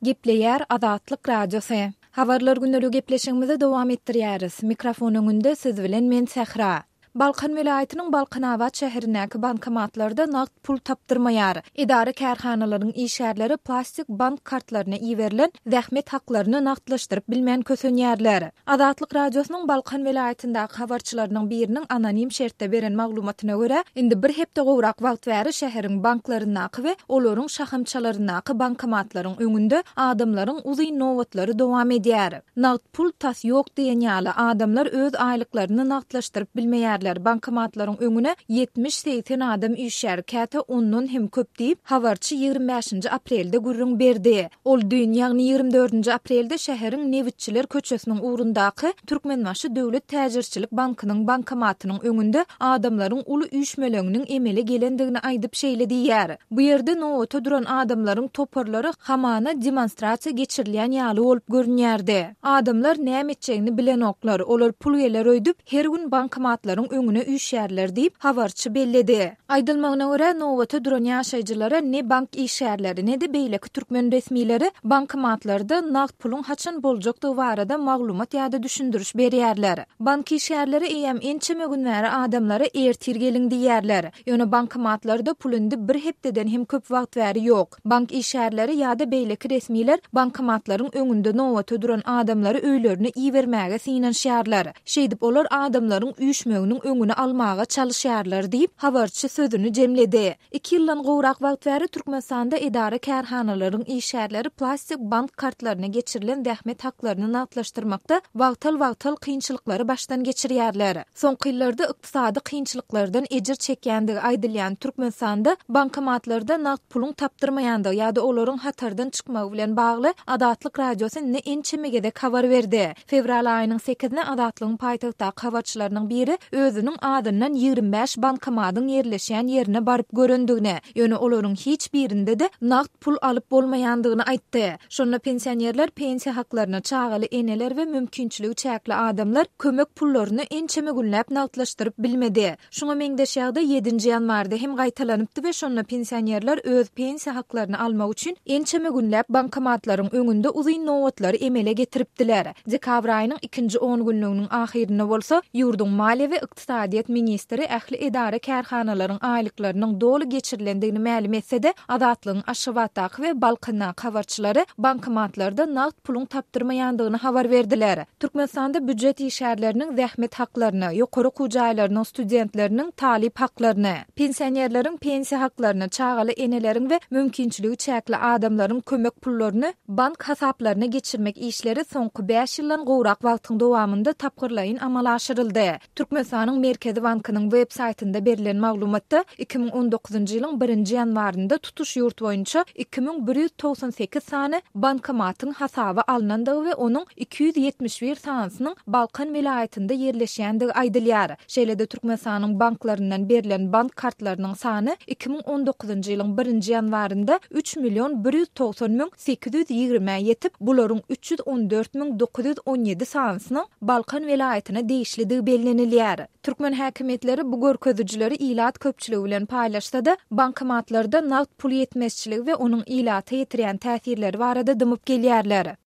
Gepleýär Azatlyk Radiosy. Habarlar gündeligi gepleşigimizi dowam etdirýäris. Mikrofon öňünde siz bilen men Sähra. Balkan welaýatynyň Balkanabat şäherindäki bankomatlarda nagt pul tapdyrmaýar. Edara-kärhanalaryň işgärleri plastik bank kartlaryna iberilen zähmet haklaryny nagtlaşdyryp bilmän kösenýärler. Azatlyk Radiosynyň Balkan welaýatyndaky habarçylarynyň biriniň anonim şertde beren maglumatyna görä, indi bir hepde gowrak wagt bäri şäheriň banklaryndaky we olaryň şahamçalaryndaky bankomatlaryň öňünde adamlaryň uzyn nobatlary dowam edýär. Nagt pul tas ýok diýen ýaly, adamlar öz aýlyklaryny nagtlaşdyryp bilmeýärler, bankomatlaryň öňüne 70-80 adam üýşýär, käte ondan hem köp diýip, habarçy 25-nji aprelde gürrüň berdi. Ol düýn, ýagny 24-nji aprelde şäheriň Nebitçiler köçesiniň ugrundaky Türkmenbaşy döwlet täjirçilik bankynyň bankomatynyň öňünde adamlaryň uly üýşmeleňiniň emele gelendigini aýdyp şeýle diýýär, Bu ýerde nobata duran adamlaryň toparlary hamana demonstrasiýa geçirilýän ýaly bolup görünýärdi. Adamlar näme etjegini bilenoklar, olar pul geler öýdüp, her gün bankomatlaryň öňüne üýşýärler diýip, habarçy belledi. Aýdylmagyna görä, nobata duran ýaşaýjylara ne bank işgärleri, ne-de beýleki türkmen resmileri bankomatlarda nagt puluň haçan boljakdygy barada maglumat ýa-da düşündiriş berýärler. Bank işgärleri eýýäm ençeme gün bäri adamlara ertir geliň diýýärler. Ýöne bankomatlarda pul indi bir hepdeden hem köp wagt bäri ýok. Bank işgärleri ýa-da beýleki resmiler bankomatlaryň öňünde nobata duran adamlary öýlerine ibermäge synanyşýarlar. Şeýdip olar adamlaryň üýşmeginiň öňüni almaga çalyşýarlar diýip, habarçy sözüni jemledi. Iki ýyldan gowrak wagt bäri Türkmenistanda edara-kärhanalaryň işgärleri plastik bank kartlaryna geçirilen zähmet haklaryny nagtlaşdyrmakda wagtal-wagtal kynçylyklary başdan geçirýärler. Soňky ýyllarda ykdysady kynçylyklardan ejir çekýändigi aýdylýan Türkmenistanda bankomatlarda nagt puluň tapdyrmaýandygy ýa-da olaryň hatardan çykmagy bilen bagly Azatlyk Radiosy indi ençeme gezek habar berdi. Fewral aýynyň sekizine Azatlygyň paýtagtdaky habarçylarynyň biri özüniň azyndan 25 bankomadyň ýerleşýän ýerine baryp görendigini, ýöne olaryň hiç birinde-de nagt pul alyp bolmaýandygyny aýtdy. Şonda pensionerler pensiýa haklaryny, çagaly eneler we mümkinçiligi çäkli adamlar kömek pullaryny ençeme günläp nagtlaşdyryp bilmedi. Şuňa meňzeş ýagdaý ýedinji ýanwarda hem gaýtalanypdy we şonda pensionerler öz pensiýa haklaryny almak üçin ençeme günläp bankomatlaryň öňünde uzyn nobatlary emele getiripdiler. Dekabr aýynyň ikinji on günlüginiň ahyrynda bolsa, ýurduň maliýe we ykdysadyýet ministri ähli edara-kärhanalaryň aýlyklarynyň doly geçirilendigini mälim etse-de, Azatlygyň Aşgabatdaky we Balkandaky habarçylary bankomatlarda nagt puluň tapdyrmaýandygyny habar berdiler. Türkmenistanda býujet işgärleriniň zähmet haklaryny, ýokary okuw jaýlarynyň studentleriniň talyp haklaryny, pensionerleriň pensiýa haklaryny, çagaly eneleriň we mümkinçiligi çäkli adamlaryň kömek pullaryny bank hasaplaryna geçirmek işleri soňky bäş ýyldan gowrak wagtyň dowamynda tapgyrlaýyn amala aşyryldy. Türkmenistanyň Merkezi bankynyň web saýtynda berlen maglumatda, 2019-njy ýylyň birinji ýanwarynda tutuş ýurt boýunça 2198 sany bankomatyň hasaba alnandygy we onuň 271 sanysynyň Balkan welaýatynda ýerleşýändigi aýdylýar. Şeýle-de Türkmenistanyň banklaryndan berlen bank kartlarynyň sany 2019-njy ýylyň birinji ýanwarynda üç million 190 820-ä ýetip, bularyň 314 917 sanysynyň Balkan welaýatyna degişlidigi bellenilýär. Türkmen häkimiýetleri bu görkezijileri ilat köpçüligi bilen paýlaşsa-da, bankomatlarda nagt pul ýetmezçiligi we onuň ilata ýetirýän täsirleri barada dymyp gelýärler.